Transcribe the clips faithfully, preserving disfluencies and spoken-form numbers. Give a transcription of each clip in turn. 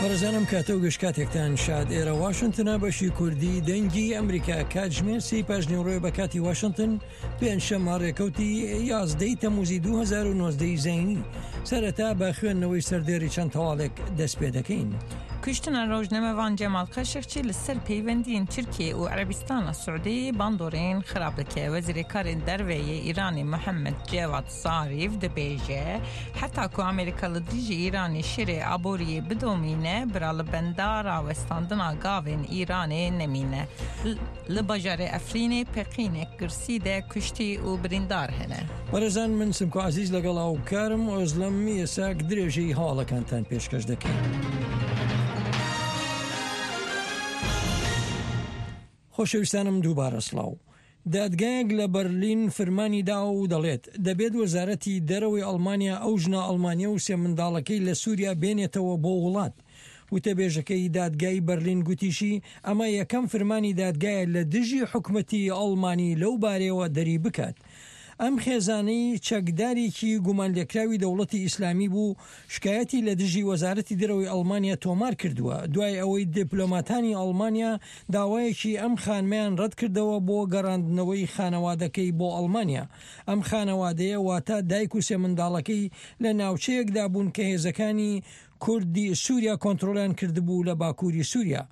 بەڕێزانم کاتە و گشت کاتێکتان شاد. ئێرە واشنتنە، بەشی کوردی دەنگی ئەمریکا. کاتژمێر سێی پاش نیوەڕۆیە بە کاتی واشنتن، پێنجشەممە ڕێکەوتی یازدەی تەموزی دوو هەزار و نۆزدە زەینی. سەرەتا بە خوێندنەوەی سەردێری چەند هەواڵێک دەست پێ دەکەین. Kuştina rojnamevan Cemal Xaşiqçî li ser peywendiyên Tirkiye û Erebistana Suudî bandorên xirab dike. Wezîrê Karên Derve yê Îranê Mihemed Cevad Zarîf dibêje heta ku Amerîka li dijî Îranê şerê aboriyê bidomîne bira li benda rawestandina gavên Îranê nemîne. Li bajarê Efrînê peqînek girsî de kuştî û birîndar hene. بەڕێزان، من سمکۆ عزیز لەگەڵ هاوکارم ئۆزلەم یەساک درێژەی هەواڵەکانتان پێشکەش دەکەین. خۆشەویستانم، دووبارە سڵاو. دادگایەک لە بەرلین فرمانی دا و دەڵێت دەبێت وەزارەتی دەرەوەی ئەڵمانیا ئەو ژنە ئەڵمانیا و سێ منداڵەکەی لە سووریا بێنێتەوە بۆ وڵات. وتەبێژەکەی دادگای بەرلین گوتیشی ئەمە یەکەم فرمانی دادگایە لە دژی حکومەتی ئەڵمانی لەو بارەیەوە دەری بکات. ئەم خێزانەی چەکدارێکی گومانلێکراوی دەوڵەتی ئیسلامی بوو شکایەتی لە دژی وەزارەتی دەرەوەی ئەڵمانیا تۆمار کردووە، دوای ئەوەی دیپلۆماتانی ئەڵمانیا داوایەکی ئەم خانمیان ڕەت کردەوە بۆ گەڕاندنەوەی خانەوادەکەی بۆ ئەڵمانیا. ئەم خانەوادەیە، واتە دایک و سێ منداڵەکەی، لە ناوچەیەکدا بوون کە هێزەکانی کوردی سووریا کۆنترۆلیان کردبوو لە باکووری سووریا.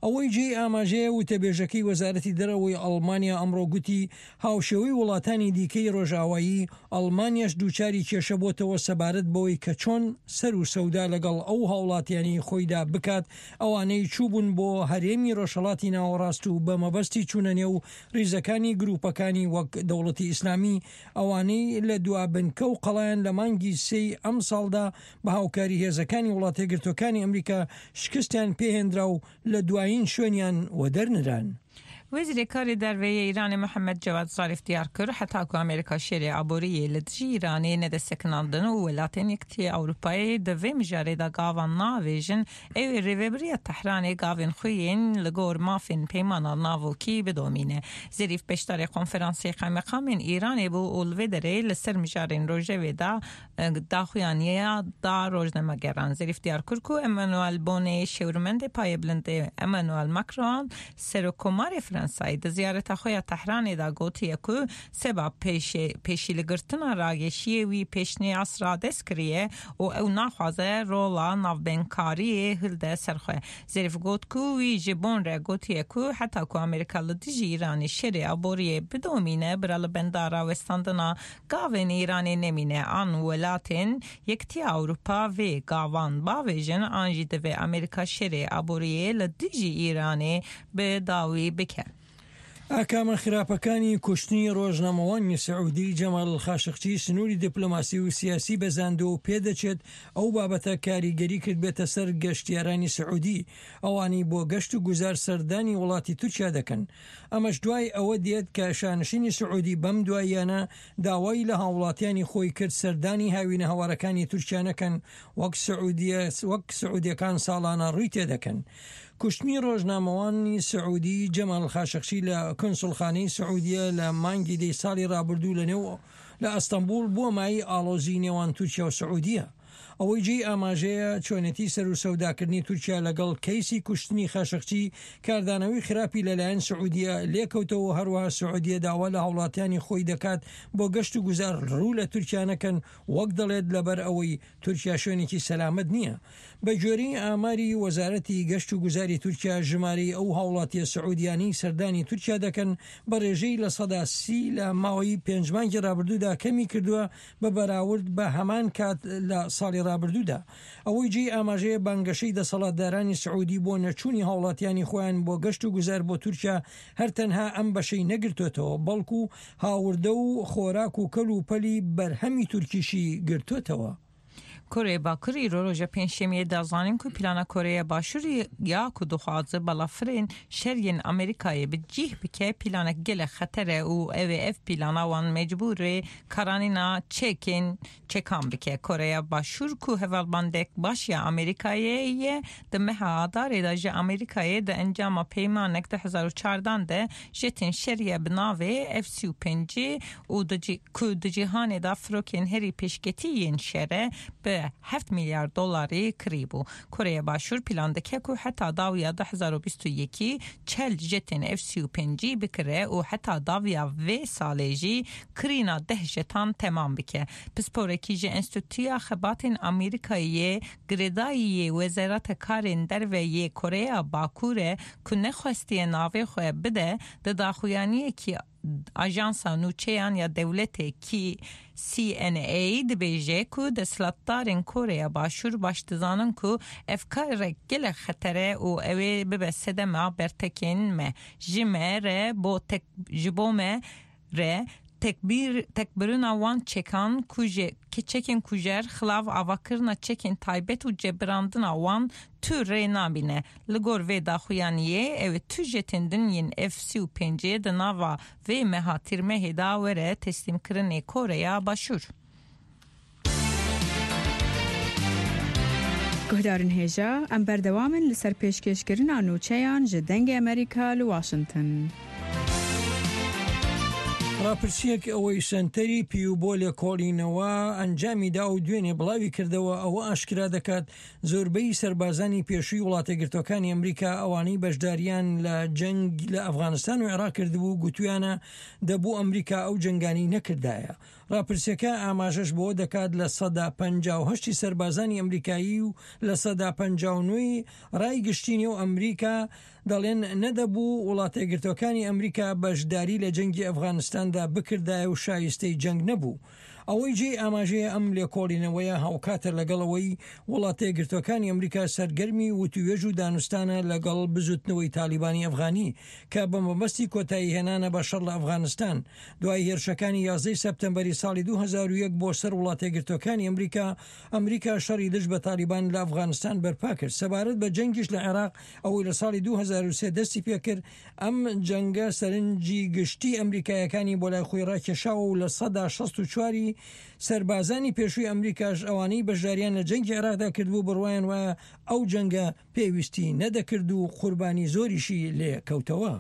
ئەوەی جێی ئاماژەیە، وتەبێژەکەی وەزارەتی دەرەوەی ئەڵمانیا ئەمڕۆ گوتی هاوشێوەی وڵاتانی دیکەی ڕۆژاوایی، ئەڵمانیاش دووچاری کێشە بۆتەوە سەبارەت بەوەی کە چۆن سەر و سەودا لەگەڵ ئەو هاوڵاتیانی خۆیدا بکات ئەوانەی چووبوون بۆ هەرێمی ڕۆژهەڵاتی ناوەڕاست و بە مەبەستی چوونە نێو ریزەکانی گروپەکانی وەک دەوڵەتی ئیسلامی، ئەوانەی لە دوا بنکە و قەڵایان لە مانگی سێی ئەم ساڵدا بە هاوکاری هێزەکانی وڵاتە یەکگرتووەکانی ئەمریکا شکستیان پێهێنرا و لە دوایین شوێنیان وەدەرنران. Wezîrê Karê Derve yê Îranê Mihemed Cevad Zarîf diyar kir heta ku Amerîka şerê aboriyê li dijî Îranê nede sekinandin û welatên Yekîtiya Ewropayê di vê mijarê de gavan naavêjin, ew ê rêveberiya Tehranê gavên xwe yên li gor mafên peymana navokî bidomîne. Zerîf beşdarê konferansê qeymeqamên Îranê bû û li vê derê li ser mijarên rojevê da daxuyaniya da rojnamegeran. Zerîf diyar kir ku Emmanuel Boneyê şêwirmendê payebilind Emmanuel Macron serokkomarê Fransayê di ziyareta xwe ya Tehranê da gotiye ku seba pêşîlêgirtina rageşiyê wî pêşniyaz radest kiriye û ew naxwaze rola navbeynkariyê hilde ser xwe. Zerîf got ku wî ji Bon re gotiye ku heta ku Amerîka li dijî Îranê şerê aboriyê bidomîne bira li benda rawestandina gavên Îranê nemîne, an welatên Yekîtiya Ewropa vê gavan bavêjin an jî divê Amerîka şerê aboriyê li dijî Îranê bi dawî bike. ئاکامە خراپەکانی کوشتنی ڕۆژنامەوانی سعودی جەمال خاشقچی سنووری دیپلۆماسی و سیاسی بەزاندووە و پێدەچێت ئەو بابەتە کاریگەری کرد بێتە سەر گەشتیارانی سعودی ئەوانەی بۆ گەشت و گوزار سەردانی وڵاتی تورکیا دەکەن. ئەمەش دوای ئەوە دێت کە شانشینی سعودی بەم دواییانە داوای لە هاوڵاتیانی خۆی کرد سەردانی هاوینە هەوارەکانی تورکیا نەکەن وەک سعودیە وەک سعودیەکان ساڵانە ڕووی تێدەکەن. کوشتنی ڕۆژنامەوانی سعودی جەمال خاشقچی لە کنسوڵخانەی سعودیە لە مانگی دەی ساڵی ڕابردوو لە نێو لە ئەستەنبوڵ بووە مایەی ئاڵۆزی نێوان تورکیا و سعودیە. ئەوەی جێی ئاماژەیە، چۆنێتی سەر و سەوداکردنی تورکیا لەگەڵ کەیسی کوشتنی خاشقچی کاردانەوەی خراپی لەلایەن سعودیە لێکەوتەوە. هەروەها سعودیە داوا لە هاوڵاتیانی خۆی دەکات بۆ گەشت و گوزار ڕوو لە تورکیا نەکەن، وەک دەڵێت لەبەر ئەوەی تورکیا شوێنێکی سەلامەت نییە. بە گوێرەی ئاماری وەزارەتی گەشت و گوزاری تورکیا، ژمارەی ئەو هاوڵاتیە سعودیانەی سەردانی تورکیا دەکەن بە ڕێژەی لە سەدا سی لە ماوەی پێنج مانگی ڕابردوودا کەمی کردووە بە بەراورد بە هەمان کات لە ساڵی ڕابردوودا. ئەوەی جێی ئاماژەیە، بانگەشەی دەسەڵاتدارانی سعودی بۆ نەچوونی هاوڵاتیانی خۆیان بۆ گەشت و گوزار بۆ تورکیا هەر تەنها ئەم بەشەی نەگرتوێتەوە، بەڵکو هاوردە و خۆراک و کەل و پەلی بەرهەمی تورکیشی گرتوێتەوە. Koreya Bakur îro roja pêncşemiyê da zanîn ku plana Koreya Başûr ya ku dixwaze balafirên şer yên Amerîkayê bi cih bike planek gelek xeter e û ew ê ev plana wan mecbûrê karanîna çekên çekan bike. Koreya Başûr ku hevalbandek baş ya Amerîkayê ye di meha Adarê de ji Amerîkayê di encama peymanek du hezar û çardan de jetên şer ya bi navê F sî û pêncî û ku di cîhanê de firokên herî pêşketî yên şer e bi Bi heft milyar dolarî kirîbû. Koreya Başûr plan dike ku heta dawiya du hezar û bîst û yekî çel jetên F sî û pêncî bikire û heta dawiya vê salê jî kirîna deh jetan temam bike. Pisporekî ji Enstîtuya Xebatên Amerîkayê girêdayî yê Wezareta Karên Derve yê Koreya Bakur e ku nexwestiye navê xwe bide di daxuyaniyekî Ajansa Nûçeyan ya Dewletê K C N A dibêje ku desthilatdarên Koreya Başûr baş dizanin ku ev karek gelek xetere û ew ê bibe sedema bertekên me. Ji me re bo tek, ji bo me re tekbir, tekbirina wan çekan kuje, çekên kujer, xilav avakirina çekên taybet û cebirandina wan tu rê nabîne. Li gor vê daxuyaniyê ew ê tu jetên din yên F sî û pêncê di nava vê meha tîrmehê da were teslîmkirinê Koreya Başûr. Guhdarên hêja, em berdewam in li ser pêşkêşkirina nûçeyan ji Dengê Amerîka li Washington. ڕاپرسیەک ئەوەی سەنتەری پیو بۆ لێکۆڵینەوە ئەنجامی دا و دوێنێ بڵاوی کردەوە ئەوە ئاشکرا دەکات زۆربەی سەربازانی پێشووی وڵاتەگرتوەکانی ئەمریکا ئەوانەی بەشداریان لە جەنگ لە ئەفغانستان و عێراق کردبوو گوتویانە دەبوو ئەمریکا ئەو جەنگانی نەکردایە. ڕاپرسیەکە ئاماژەش بۆ دەکات لە سەدا پەنجا و هەشتی سەربازانی ئەمریکایی و لە سەدا پەنجا و نۆی ڕای گشتی نێو ئەمریکا دەڵێن نەدەبوو وڵاتەگرتوەکانی ئەمریکا بەشداری لە جەنگی ئەفغانستاندا بکردایە و شایستەی جەنگ نەبوو. ئەوەی جێی ئاماژەیە ئەم لێکۆڵینەوەیە هاوکاتە لەگەڵەوەی وڵاتەیەکگرتوەکانی ئەمریکا سەرگەرمی وتوێژ و دانوستانە لەگەڵ بزوتنەوەی تالیبانی ئەفغانی کە بە مەبەستی کۆتایی هێنانە بە شەڕ لە ئەفغانستان. دوای هێرشەکانی یازدەی سەپتەمبەری ساڵی دوو هەزار و یەک بۆ سەر وڵاتەیەکگرتوەکانی ئەمریکا، ئەمریکا شەڕی دژ بە تالیبان لە ئەفغانستان بەرپا کرد. سەبارەت بە جەنگیش لە عێراق ئەوەی لە ساڵی دوو هەزار و سێ دەستی پێکرد، ئەم جەنگە سەرنجی گشتی ئەمریکایەکانی بۆ لای خۆی ڕاکێشاوە و لە سەدا شەست و چواری سەربازانی پێشووی ئەمریکاش ئەوانەی بەشداریان لە جەنگی عێراقدا کردبوو بڕوایان وایە ئەو جەنگە پێویستی نەدەکرد و قوربانی زۆریشی لێ کەوتەوە.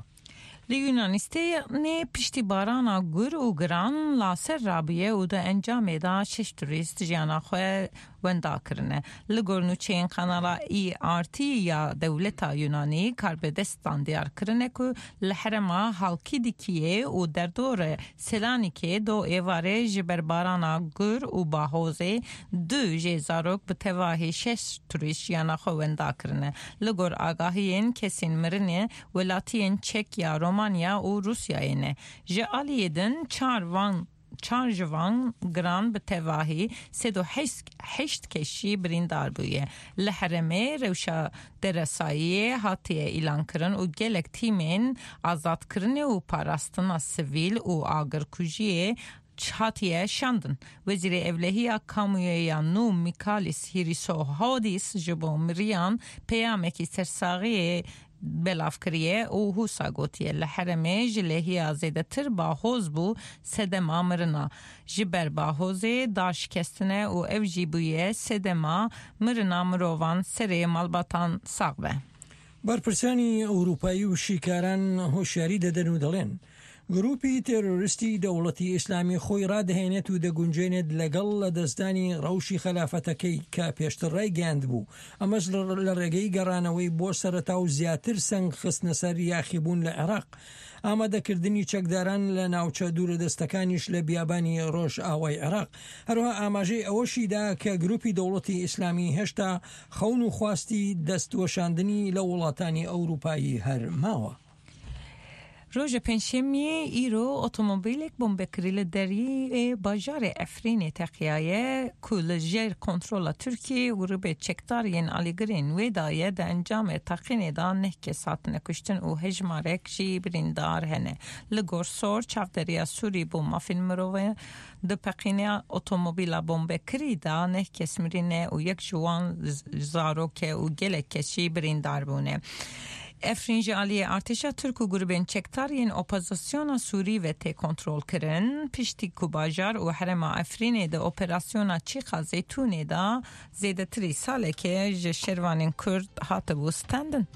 Li Yunanistanê piştî barana gur û giran laser rabûye û di encamê de şeş turîst jiyana xwe wenda kirine. Li gor nûçeyên kanala E R T ya dewleta Yunanî karbidestan diyar kirine ku li herêma Halkidikiyê û derdora Selanikê do êvarê ji ber barana gur û bahozê du jê zarok bi tevahî şeş turîst jiyana xwe wenda kirine. Li gor agahiyên kesên mirinê welatiyên Çek ya Romanya û Rusyayê ne. Ji aliyê din çar van çar ji van giran bi tevahî sed û heşt keşî birîndar bûye. Li herêmê rewşa deresayiyê hatiye îlankirin û gelek tîmên azadkirinê û parastina sivîl û agirkujiyê hatiye şandin. Wezîrê Evlehiya Kamûyê ya nû Mikalis Hrisohodis ji bo miriyan peyamekî sersaxiyê belav kiriye û hûsa gotiye li herêmê ji lehiya zêdetir bahoz bû sedema mirina. Ji ber bahozê dar şikestine û ev jî bûye sedema mirina mirovan serê malbatan sax be. بەرپرسانی ئەوروپایی و شیکاران هۆشیاری دەدەن و دەڵێن گروپی تێرۆریستی دەوڵەتی ئیسلامی خۆی ڕادەهێنێت و دەگونجێنێت لەگەڵ لە دەستدانی ڕەوشی خەلافەتەکەی کە پێشتر ڕایگەیاند بوو، ئەمەش لە ڕێگەی گەڕانەوەی بۆ سەرەتا و زیاتر سەنگ خستنە سەر یاخیبوون لە عێراق، ئامادەکردنی چەکداران لە ناوچە دوورە دەستەکانیش لە بیابانی ڕۆژ ئاوای عێراق. هەروەها ئاماژەی ئەوەشیدا کە گروپی دەوڵەتی ئیسلامی هێشتا خەون و خواستی دەستوەشاندنی لە وڵاتانی ئەوروپایی هەر ماوە. Roja Pêncşemiyê îro otomobîlek bombekirî li deriyê bajarê Efrînê teqiyaye ku li jêr kontrola Tirkiyê û grûpê çekdar yên alîgirên wê daye di encamê teqînê de neh kes hatine kuştin û hejmarek jî birîndar hene. Li gor sor çavderiya Sûrî bo mafên mirovê di peqîna otomobîla bombekirî de neh kes mirine û yek ji wan zarok e û gelek kes jî birîndar bûne. Efrîn ji aliyê artêşa Tirk û grûpên çekdar yên opozisyona Sûrî ve tê kontrolkirin, piştî ku bajar û herêma Efrînê di operasyona Çîqa Zeytûnê de zêdetirî salekê ji şervanên Kurd hatibû standin.